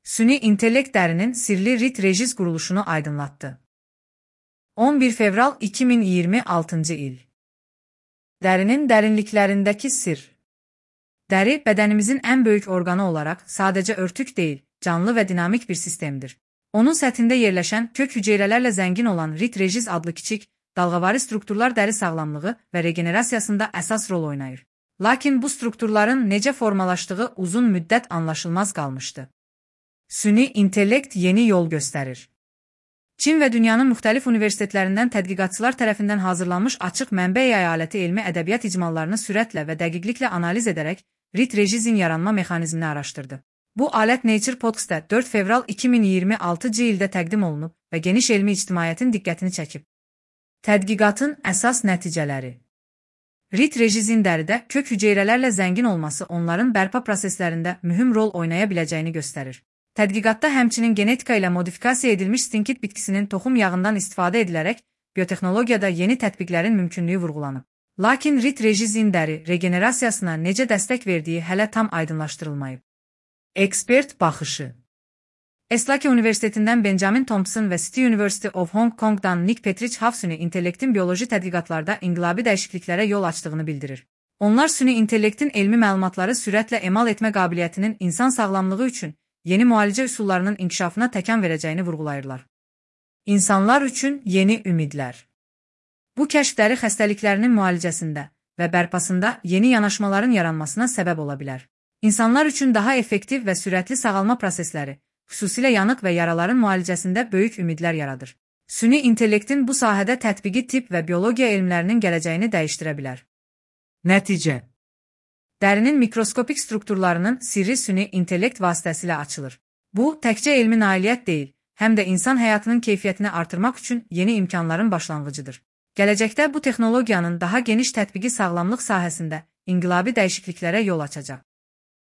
Süni intellekt dərinin sirli rit-rejiz quruluşunu aydınlatdı. 11 fevral 2026 il. Dərinin dərinliklərindəki sir. Dəri, bədənimizin ən böyük orqanı olaraq sadəcə örtük deyil, canlı və dinamik bir sistemdir. Onun səthində yerləşən kök hüceyrələrlə zəngin olan rit-rejiz adlı kiçik, dalğavari strukturlar dəri sağlamlığı və regenerasiyasında əsas rol oynayır. Lakin bu strukturların necə formalaşdığı uzun müddət anlaşılmaz qalmışdı. Süni intellekt yeni yol göstərir. Çin və dünyanın müxtəlif universitetlərindən tədqiqatçılar tərəfindən hazırlanmış açıq mənbə əyaləti elmi ədəbiyyat icmallarını sürətlə və dəqiqliklə analiz edərək rit-rejizin yaranma mexanizmini araşdırdı. Bu alət Nature Podcasts-da 4 fevral 2026 ildə təqdim olunub və geniş elmi ictimaiyyətin diqqətini çəkib. Tədqiqatın əsas nəticələri. Rit-rejizin dəridə kök hüceyrələrlə zəngin olması onların bərpa proseslərində mühüm rol oynaya biləcəyini göstərir. Tədqiqatda həmçinin genetika ilə modifikasiya edilmiş stinkit bitkisinin toxum yağından istifadə edilərək biotexnologiyada yeni tətbiqlərin mümkünlüyü vurğulanıb. Lakin rit-rejizin dəri regenerasiyasına necə dəstək verdiyi hələ tam aydınlaşdırılmayıb. Ekspert baxışı. Eslake Universitetindən Benjamin Thompson və City University of Hong Kong'dan Nick Petrich süni intellektin bioloji tədqiqatlarda inqilabi dəyişikliklərə yol açdığını bildirir. Onlar süni intellektin elmi məlumatları sürətlə emal etmə qabiliyyətinin insan sağlamlığı üçün yeni müalicə üsullarının inkişafına təkan verəcəyini vurğulayırlar. İnsanlar üçün yeni ümidlər. Bu kəşf dəri xəstəliklərinin müalicəsində və bərpasında yeni yanaşmaların yaranmasına səbəb ola bilər. İnsanlar üçün daha effektiv və sürətli sağalma prosesləri, xüsusilə yanıq və yaraların müalicəsində böyük ümidlər yaradır. Süni intellektin bu sahədə tətbiqi tibb və biologiya elmlərinin gələcəyini dəyişdirə bilər. Nəticə. Dərinin mikroskopik strukturlarının sirri süni intellekt vasitəsilə açılır. Bu, təkcə elmi nailiyyət deyil, həm də insan həyatının keyfiyyətini artırmaq üçün yeni imkanların başlanğıcıdır. Gələcəkdə bu texnologiyanın daha geniş tətbiqi sağlamlıq sahəsində inqilabi dəyişikliklərə yol açacaq.